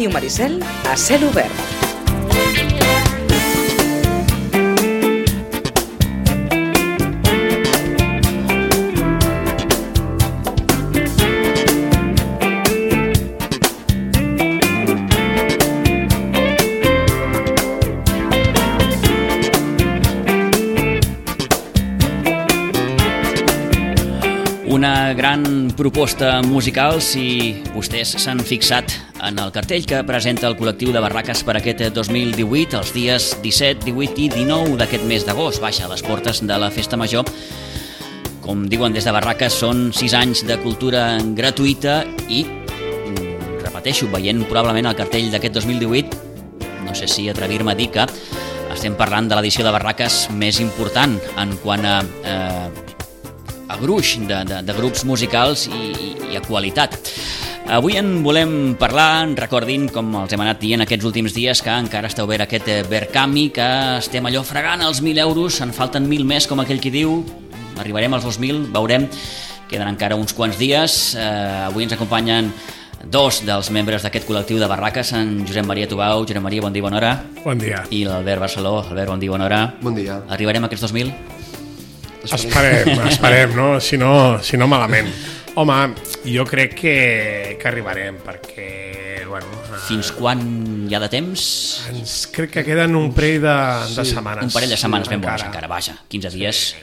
Ràdio Maricel a cel obert. Una gran proposta musical si vostès s'han fixat en el cartell que presenta el col·lectiu de Barraques per aquest 2018, els dies 17, 18 i 19 d'aquest mes d'agost. Vaja, a les portes de la Festa Major. Com diuen des de Barraques, són 6 anys de cultura gratuïta i, repeteixo, veient probablement el cartell d'aquest 2018, no sé si atrevir-me a dir que estem parlant de l'edició de Barraques més important en quant a gruix de grups musicals i a qualitat. Avui en volem parlar, recordin, com els hem anat dient aquests últims dies, que encara està obert aquest Verkami, que estem allò fregant els 1.000 euros, en falten 1.000 més, com aquell qui diu, arribarem als 2.000, veurem, queden encara uns quants dies. Avui ens acompanyen dos dels membres d'aquest col·lectiu de Barraques, en Josep Maria Tubau. Josep Maria, bon dia, bona hora. Bon dia. I l'Albert Barceló. Albert, bon dia, bona hora. Bon dia. Arribarem a aquests 2.000? Esperem, no? Si no malament. Home, jo crec que arribarem, perquè, bueno... Fins quan hi ha de temps? Crec que queden un parell de setmanes. Un parell de setmanes ben bones encara, vaja, 15 dies.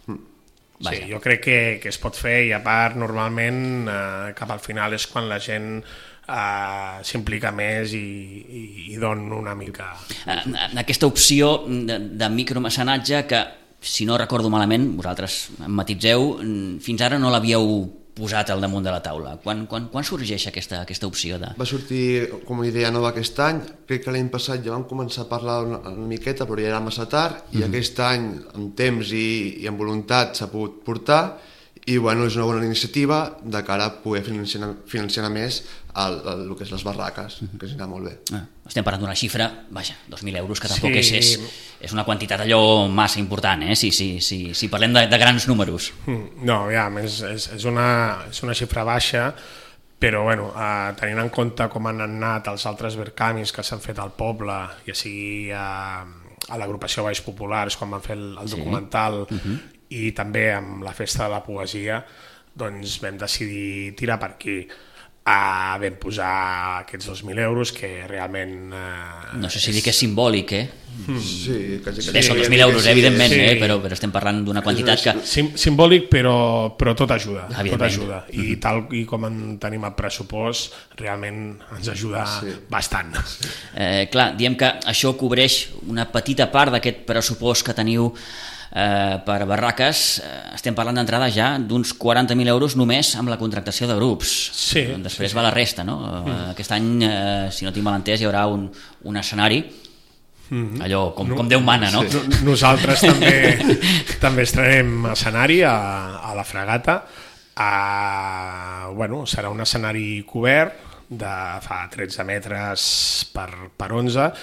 Sí, jo crec que es pot fer, i a part, normalment, cap al final és quan la gent s'implica més i dona una mica... Aquesta opció de micromecenatge que, si no recordo malament, vosaltres em matitzeu, fins ara no l'havíeu posat al damunt de la taula. Quan sorgeix aquesta opció de... Va sortir com a idea nova aquest any. Crec que l'any passat ja vam començar a parlar una miqueta, però ja era massa tard, i aquest any, amb temps i amb voluntat, s'ha pogut portar, i bueno, és una bona iniciativa de cara a poder financiar més el que és les barraques, que ens anirà molt bé. Estem parlant d'una xifra, vaja, 2.000 euros, que tampoc és una quantitat allò massa important, si parlem de grans números. No, ja, és una xifra baixa, però bueno, tenint en compte com han anat els altres Verkamis que s'han fet al poble, ja sigui a l'agrupació Baix Populars, quan van fer el documental, i també amb la Festa de la Poesia, doncs vam decidir tirar per aquí. Vam posar aquests 2.000 euros, que realment... No sé si dir que és simbòlic, Sí, quasi. Són 2.000 euros, evidentment, però estem parlant d'una quantitat que... Simbòlic, però tot ajuda. Tot ajuda. I tal com en tenim el pressupost, realment ens ajuda bastant. Clar, diem que això cobreix una petita part d'aquest pressupost que teniu per Barraques. Estem parlant d'entrada ja d'uns 40.000 euros només amb la contractació de grups. Després va la resta, no? Aquest any, si no tinc mal entès, hi haurà un escenari, allò com Déu mana, no? Nosaltres també estrenem escenari a la Fregata. Serà un escenari cobert de fa 13 metres per 11,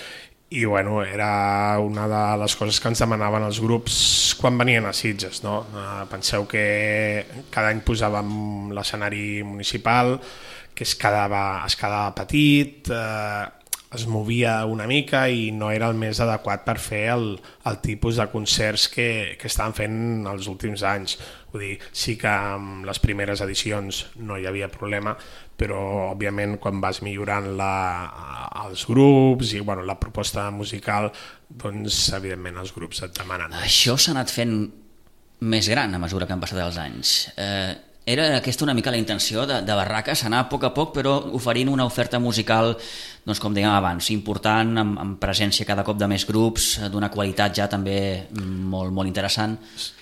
i bueno, era una de les coses que ens demanaven els grups quan venien a Sitges, no? Penseu que cada any posàvem l'escenari municipal, que es quedava petit, es movia una mica i no era el més adequat per fer el tipus de concerts que estaven fent els últims anys. Vull dir, sí que amb les primeres edicions no hi havia problema, però òbviament quan vas millorant els grups i la proposta musical, doncs evidentment els grups et demanen. Això s'ha anat fent més gran a mesura que han passat els anys. Era aquesta una mica la intenció de Barraques, anar a poc, però oferint una oferta musical, doncs com dèiem abans, important, amb presència cada cop de més grups, d'una qualitat ja també molt, molt interessant.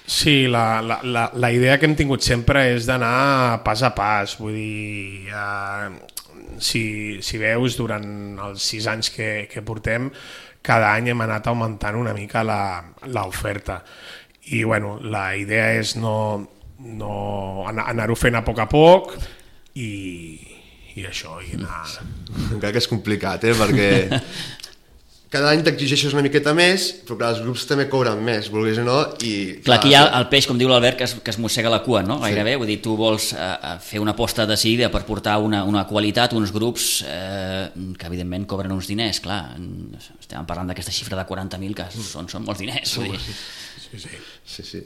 Sí, la idea que hem tingut sempre és d'anar pas a pas, vull dir, si veus, durant els 6 anys que portem, cada any hem anat augmentant una mica l'oferta, i bueno, la idea és anar-ho fent a poc i això, i anar... Encara que és complicat, perquè cada any t'exigeixes una miqueta més, però clar, els grups també cobren més, vulguis o no, i... Clar, aquí hi ha el peix, com diu l'Albert, que es mossega la cua, no? Gairebé, vull dir, tu vols fer una aposta decidida per portar una qualitat, uns grups que evidentment cobren uns diners, clar, estem parlant d'aquesta xifra de 40.000 que són molts diners, vull dir. Sí,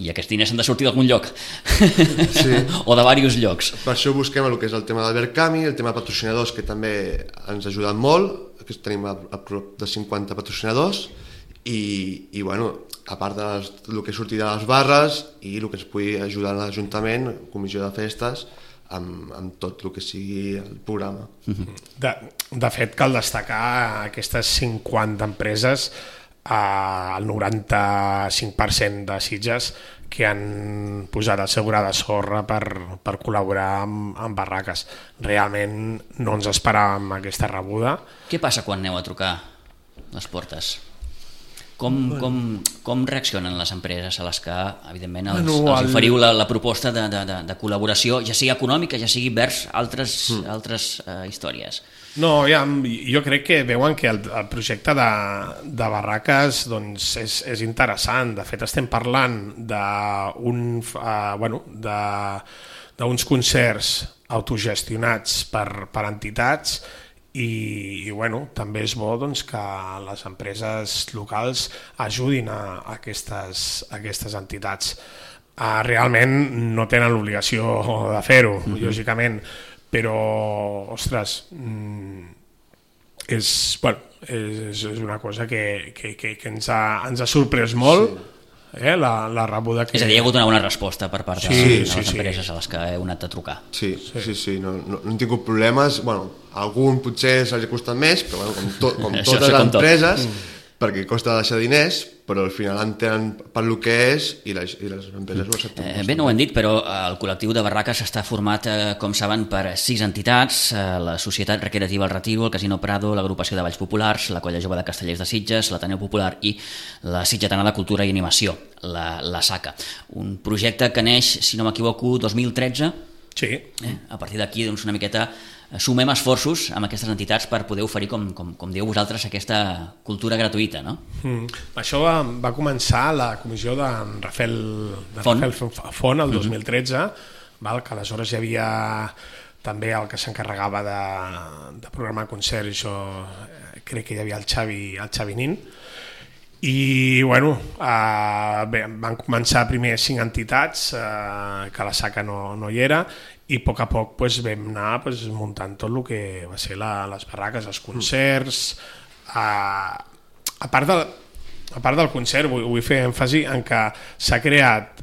I aquests diners han de sortir d'algun lloc, sí. o de diversos llocs. Per això busquem el que és el tema d'Albert Cami, el tema de patrocinadors, que també ens ha ajudat molt, que tenim a prop de 50 patrocinadors, i bueno, a part del que sortirà de les barres i el que ens pugui ajudar a l'Ajuntament, comissió de festes, amb tot el que sigui el programa. De fet, cal destacar aquestes 50 empreses, el 95% de Sitges que han posat assegurada sorra per col·laborar amb barraques. Realment no ens esperàvem aquesta rebuda. Què passa quan aneu a trucar les portes? Com reaccionen les empreses a les que, evidentment, els oferiu la proposta de col·laboració, ja sigui econòmica, ja sigui vers altres històries? No, jo crec que veuen que el projecte de barraques doncs, és interessant. De fet, estem parlant d'uns concerts autogestionats per entitats i també és bo doncs, que les empreses locals ajudin a aquestes entitats. Realment no tenen l'obligació de fer-ho, lògicament, però, ostres, és una cosa que ens ha sorprès molt, la rebuda que... És a dir, hi ha hagut una bona resposta per part de les empreses a les que heu anat a trucar. Sí, no hem tingut problemes, algun potser s'ha costat més, però com totes les empreses, perquè costa deixar diners, però al final entenen per lo que és i les empreses ho accepten. Bé, no ho hem dit, però el col·lectiu de barraques està format, com saben, per 6 entitats: la Societat Recreativa El Retiro, el Casino Prado, l'Agrupació de Balls Populars, la Colla Jove de Castellers de Sitges, l'Ateneu Popular i la Sitgetana de Cultura i Animació, la SACA. Un projecte que neix, si no m'equivoco, 2013. Sí. A partir d'aquí, doncs, una miqueta sumem esforços amb aquestes entitats per poder oferir, com dieu vosaltres, aquesta cultura gratuïta, no? Això va començar la comissió de Rafael Font el 2013, que aleshores hi havia també el que s'encarregava de programar concerts, això crec que hi havia el Xavi Nin, i van començar primer 5 entitats, que la SACA no hi era, i a poc vam anar muntant tot el que va ser les barraques, els concerts. A part del concert, vull fer èmfasi en que s'ha creat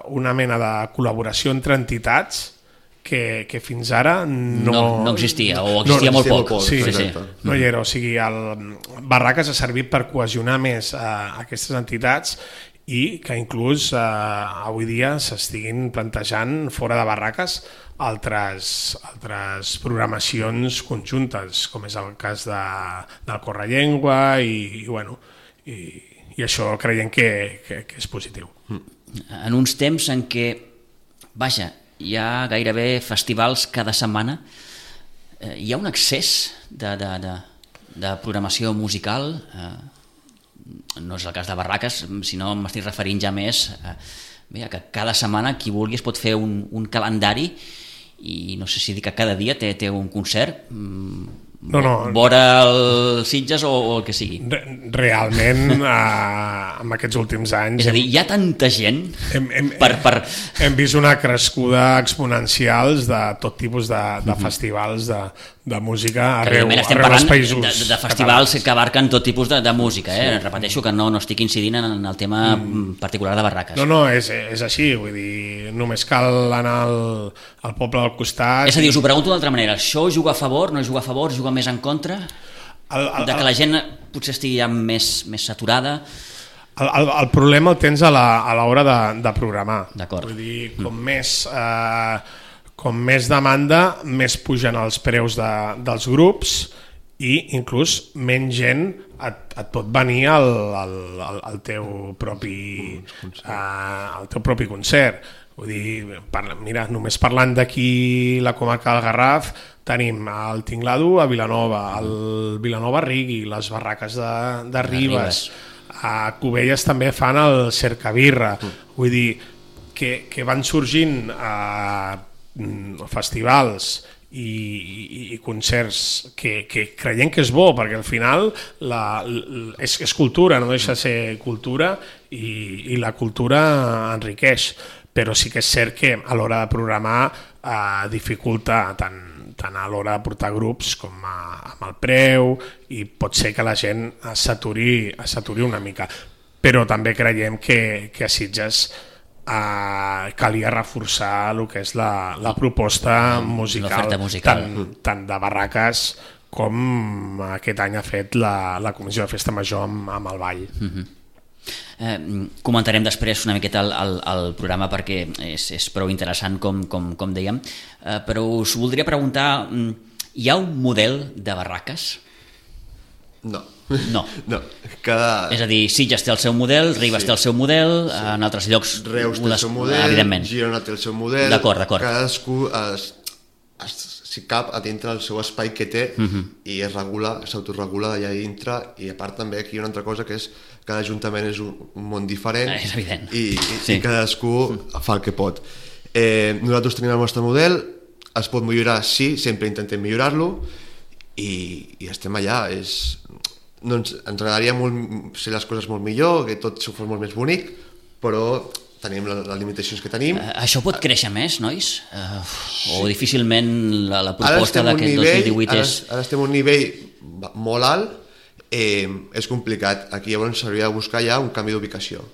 una mena de col·laboració entre entitats que fins ara no existia, o existia molt poc. Sí. No hi era, o sigui, barraques ha servit per cohesionar més aquestes entitats i que inclús avui dia s'estiguin plantejant fora de barraques altres programacions conjuntes, com és el cas del Correllengua i això creiem que és positiu. En uns temps en què, hi ha gairebé festivals cada setmana, hi ha un excés de programació musical. No és el cas de barraques, sinó m'estic referint ja més que cada setmana qui vulgui es pot fer un calendari i no sé si dir que cada dia té un concert, vora el Sitges o el que sigui. Realment, en aquests últims anys... És a dir, hi ha tanta gent Hem vist una crescuda exponencial de tot tipus de festivals de música arreu dels països. De festivals que abarquen tot tipus de música. Repeteixo que no estic incidint en el tema particular de barraques. No, és així, vull dir, només cal anar al poble del costat... És a dir, us ho pregunto d'altra manera, això juga a favor, no juga a favor, juga més en contra? De que la gent potser estigui ja més saturada? El problema el tens a l'hora de programar. D'acord. Vull dir, com més demanda, més pugen els preus dels grups i inclús menys gent et pot venir al teu propi concert. Vull dir, mira, només parlant d'aquí la comarca del Garraf, tenim el Tinglado a Vilanova, el Vilanova Rigui, les barraques de Ribes, a Cubelles també fan el Cercabirra, vull dir que van sorgint festivals i concerts que creiem que és bo, perquè al final és cultura, no deixa de ser cultura, i la cultura enriqueix, però sí que és cert que a l'hora de programar dificulta tant a l'hora de portar grups com amb el preu, i pot ser que la gent s'aturi una mica, però també creiem que a Sitges calia reforçar el que és la proposta musical, tant de barraques com aquest any ha fet la Comissió de Festa Major amb el ball. Comentarem després una miqueta el programa perquè és prou interessant com dèiem, però us voldria preguntar, hi ha un model de barraques? No. És a dir, Sitges té el seu model, Ribes té el seu model, en altres llocs Reus té el seu model, evidentment. Girona té el seu model, d'acord. Cadascú si cap a dintre el seu espai que té i es regula, s'autoregula allà dintre, i a part també aquí hi ha una altra cosa que és que cada ajuntament és un món diferent, és evident, i cadascú fa el que pot. Nosaltres tenim el nostre model, es pot millorar, sí, sempre intentem millorar-lo, i estem allà. Ens agradaria molt ser les coses molt millor, que tot fos molt més bonic, però tenim les limitacions que tenim. Això pot créixer més, nois? O difícilment la proposta d'aquest 2018 és... Ara estem a un nivell molt alt, és complicat. Aquí llavors s'hauria de buscar ja un canvi d'ubicació.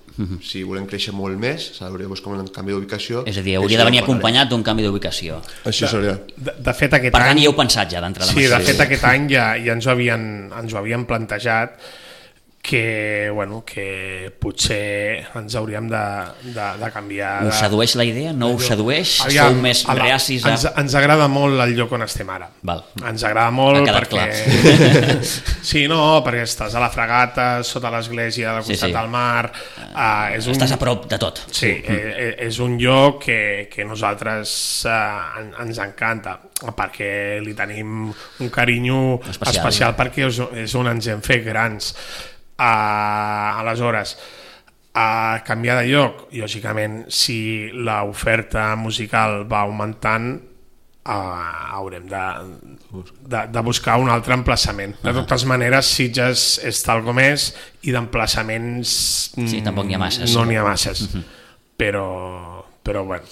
Si volem créixer molt més, s'hauria de buscar un canvi d'ubicació. És a dir, hauria de venir acompanyat d'un canvi d'ubicació. Això seria. De fet, aquest any... Per tant, hi heu pensat ja d'entrada. Sí, de fet, aquest any ja ens ho havien plantejat, que potser ens hauríem de canviar. Us sedueix la idea? No us sedueix? Sou més reacis a... Ens agrada molt el lloc on estem ara. Ens agrada molt perquè... Sí, perquè estàs a la Fragata, sota l'església, al costat del mar... Estàs a prop de tot. Sí, és un lloc que nosaltres ens encanta, perquè li tenim un carinyo especial perquè és on ens hem fet grans. Aleshores, a canviar de lloc, lògicament, si l'oferta musical va augmentant, haurem de buscar un altre emplaçament. De totes maneres, Sitges és tal com és, i d'emplaçaments tampoc n'hi ha masses. No n'hi ha masses, però bueno.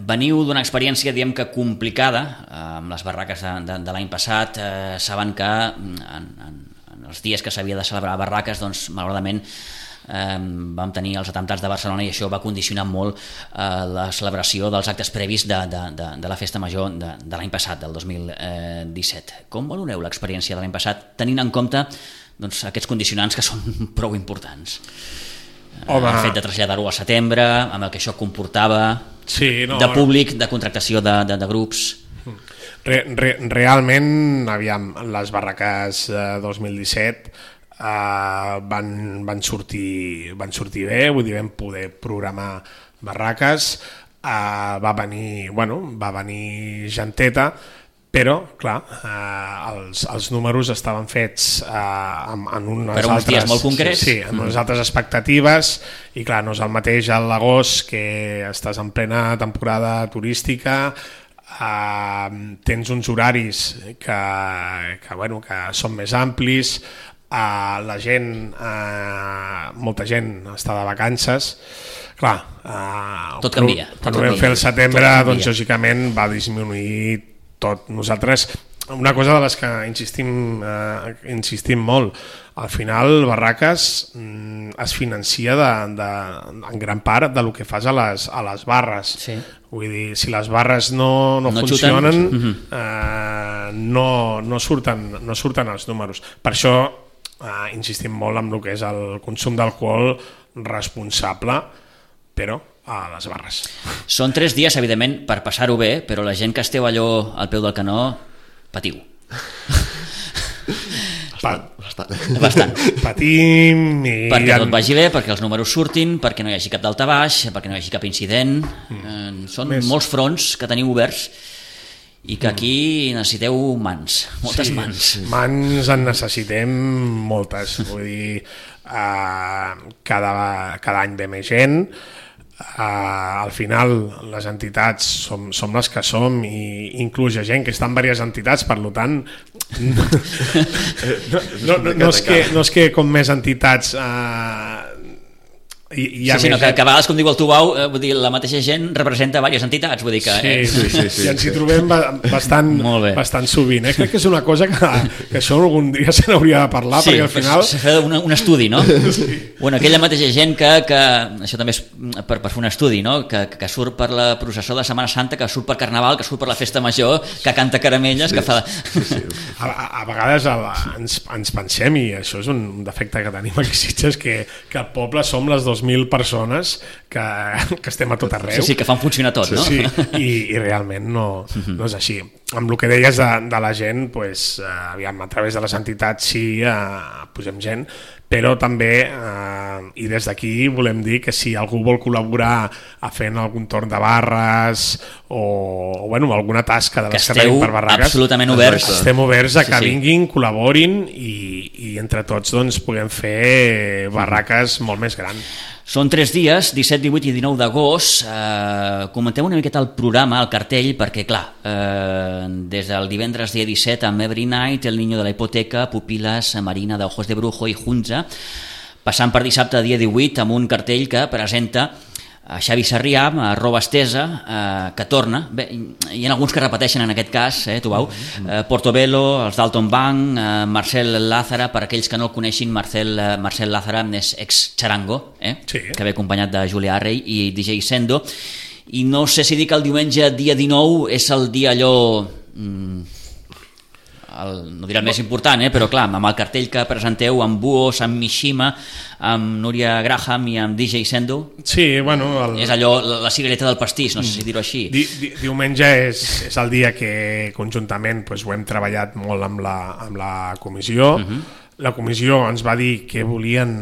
Veniu d'una experiència, diguem que complicada, amb les barraques de l'any passat. Saben que en els dies que s'havia de celebrar barraques, doncs malauradament vam tenir els atemptats de Barcelona, i això va condicionar molt la celebració dels actes previs de la festa major de l'any passat, del 2017. Com valoreu l'experiència de l'any passat, tenint en compte aquests condicionants que són prou importants? El fet de traslladar-ho al setembre, amb el que això comportava, de públic, de contractació de grups... Realment, aviam, les barraques 2017 van sortir bé, vull dir, vam poder programar barraques, va venir genteta, però, clar, els números estaven fets en uns dies molt concrets. Sí, en unes altres expectatives, i clar, no és el mateix a l'agost, que estàs en plena temporada turística, tens uns horaris que són més amplis, la gent, molta gent està de vacances, clar, tot canvia. Quan ho vam fer el setembre, doncs lògicament va disminuir tot. Nosaltres, una cosa de les que insistim molt, al final Barraques es financia en gran part del que fas a les barres. Vull dir, si les barres no funcionen, no surten els números. Per això insistim molt en el que és el consum d'alcohol responsable, però a les barres. Són 3 dies, evidentment, per passar-ho bé, però la gent que esteu allò al peu del canó, patiu. Bastant. Patim perquè tot vagi bé, perquè els números surtin, perquè no hi hagi cap daltabaix, perquè no hi hagi cap incident. Són molts fronts que teniu oberts, i que aquí necessiteu mans, moltes mans. Mans en necessitem moltes, vull dir, cada any ve més gent, al final les entitats som les que som i inclús hi ha gent que està en diverses entitats, per tant no és que com més entitats sí, sinó que a vegades, com diu el Tubau, vull dir, la mateixa gent representa diverses entitats, vull dir que... Sí, i ens hi trobem bastant sovint. Crec que és una cosa que això algun dia se n'hauria de parlar, perquè al final... Sí, s'ha fet un estudi, no? Sí. Bueno, aquella mateixa gent que això també és per fer un estudi, no? Que surt per la processó de Setmana Santa, que surt per Carnaval, que surt per la Festa Major, que canta caramelles, que fa... A vegades ens pensem, i això és un defecte que tenim aquí a Sitges, que al poble som les 2.000 persones que estem a tot arreu. Sí, que fan funcionar tot, no? Sí, i realment no és així. Amb el que deies de la gent, aviam, a través de les entitats sí, posem gent, però també, i des d'aquí volem dir que si algú vol col·laborar a fent algun torn de barres o alguna tasca de les que tenim per barraques, absolutament oberts. Estem oberts a que vinguin, col·laborin i entre tots doncs, puguem fer barraques molt més grans. Són 3 dies, 17, 18 i 19 d'agost. Comentem una miqueta el programa, el cartell, perquè, clar, des del divendres dia 17 amb Every Night, El Niño de la Hipoteca, Pupilas, Marina de Ojos de Brujo i Hunza, passant per dissabte dia 18 amb un cartell que presenta a Xavi Sarrià, a Roba Estesa, que torna. Bé, hi ha alguns que repeteixen en aquest cas, Tubau, Portobello, els Dalton Bank, Marcel Lázara, per aquells que no el coneixin, Marcel Lázara és ex-Charango, sí, que ve acompanyat de Julia Arrey i DJ Sendo, i no sé si dic el diumenge dia 19 és el dia allò... no diré el més important, però clar, amb el cartell que presenteu amb Buos, amb Mishima, amb Núria Graham i amb DJ Sendo, sí, bueno, és allò, la cigareta del pastís, no sé si dir-ho així. Diumenge és el dia que conjuntament ho hem treballat molt amb la comissió. La comissió ens va dir que volien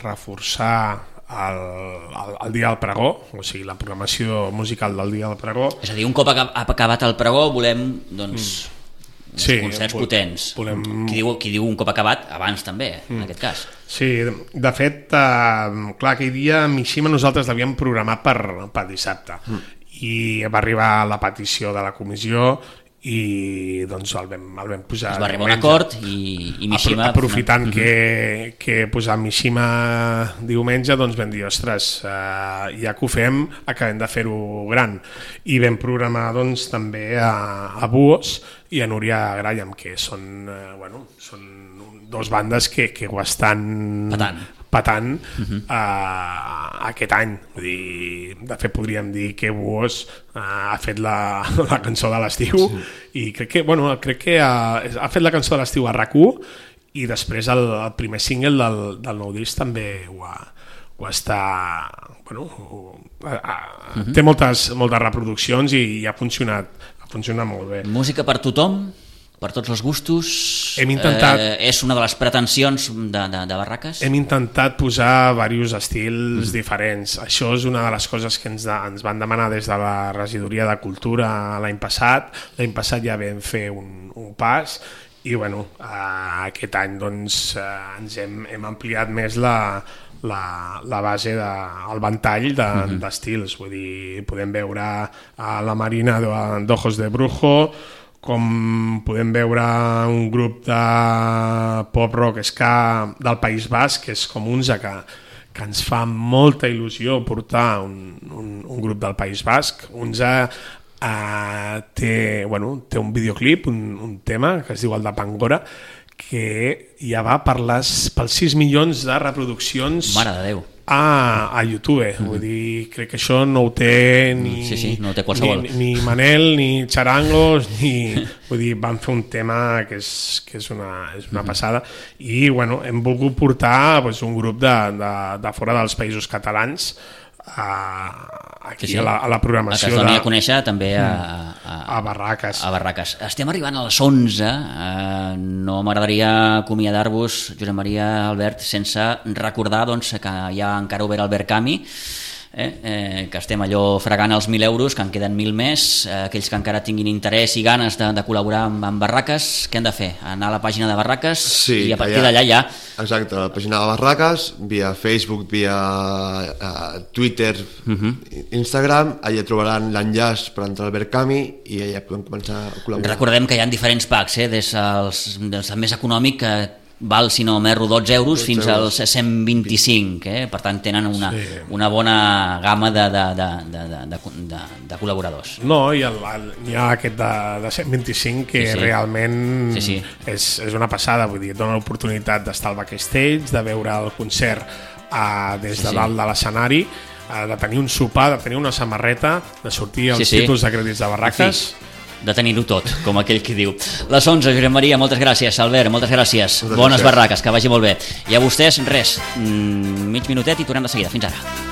reforçar el dia del pregó, o sigui, la programació musical del dia del pregó. És a dir, un cop acabat el pregó volem, doncs... concerts potents. Qui diu un cop acabat, abans també, en aquest cas. Sí, de fet, clar, aquell dia Mishima nosaltres l'havíem programat per dissabte i va arribar la petició de la comissió i doncs el vam posar. Es va arribar a un acord i Mishima... Aprofitant que posar Mishima diumenge, doncs vam dir, ostres, ja que ho fem, acabem de fer-ho gran. I vam programar doncs també a Buos i a Núria Graham, que són dos bandes que ho estan patant aquest any. Vull dir, de fet, podríem dir que Buos ha fet la cançó de l'estiu i crec que ha fet la cançó de l'estiu a RAC1 i després el primer single del nou disc també ho està... té moltes reproduccions i ha funcionat molt bé. Música per tothom? Per tots els gustos? Hem intentat... És una de les pretensions de Barraques? Hem intentat posar diversos estils diferents. Això és una de les coses que ens van demanar des de la Regidoria de Cultura l'any passat. L'any passat ja vam fer un pas i aquest any doncs, ens hem ampliat més la base el ventall d'estils. Vull dir, podem veure la Marina d'Ojos de Brujo, com podem veure un grup de pop-rock ska del País Basc, que és com Hunza, que ens fa molta il·lusió portar un grup del País Basc. Hunza té un videoclip, un tema que es diu el de Pangora, que ja va pels 6 milions de reproduccions. Mare de Déu. A YouTube, vull dir, crec que això no ho té no ho té qualsevol. Ni Manel, ni Charangos, vull dir, van fer un tema que és una passada i hem volgut portar un grup de fora dels països catalans aquí a la programació. Que es doni a conèixer també a Barraques. A Barraques. Estem arribant a les 11. No m'agradaria acomiadar-vos, Josep Maria, Albert, sense recordar que hi ha encara obert Albert Camus, que estem allò fregant els 1.000 euros, que en queden 1.000 més. Aquells que encara tinguin interès i ganes de col·laborar amb Barraques, què han de fer? Anar a la pàgina de Barraques i a partir d'allà ja... Exacte, a la pàgina de Barraques, via Facebook, via Twitter, Instagram, allà trobaran l'enllaç per entrar al Verkami i allà podem començar a col·laborar. Recordem que hi ha diferents packs, des del més econòmic, que val, si no m'erro, 12 euros fins als 125, per tant tenen una bona gamma de col·laboradors. No, i hi ha aquest de 125 que realment és una passada, vull dir, et dona l'oportunitat d'estar al backstage, de veure el concert des de dalt de l'escenari, de tenir un sopar, de tenir una samarreta, de sortir els títols de crèdits de Barraques... de tenir-ho tot, com aquell qui diu. Les 11, Josep Maria, moltes gràcies. Albert, moltes gràcies. Bones Barraques, que vagi molt bé. I a vostès, res, mig minutet i tornem de seguida. Fins ara.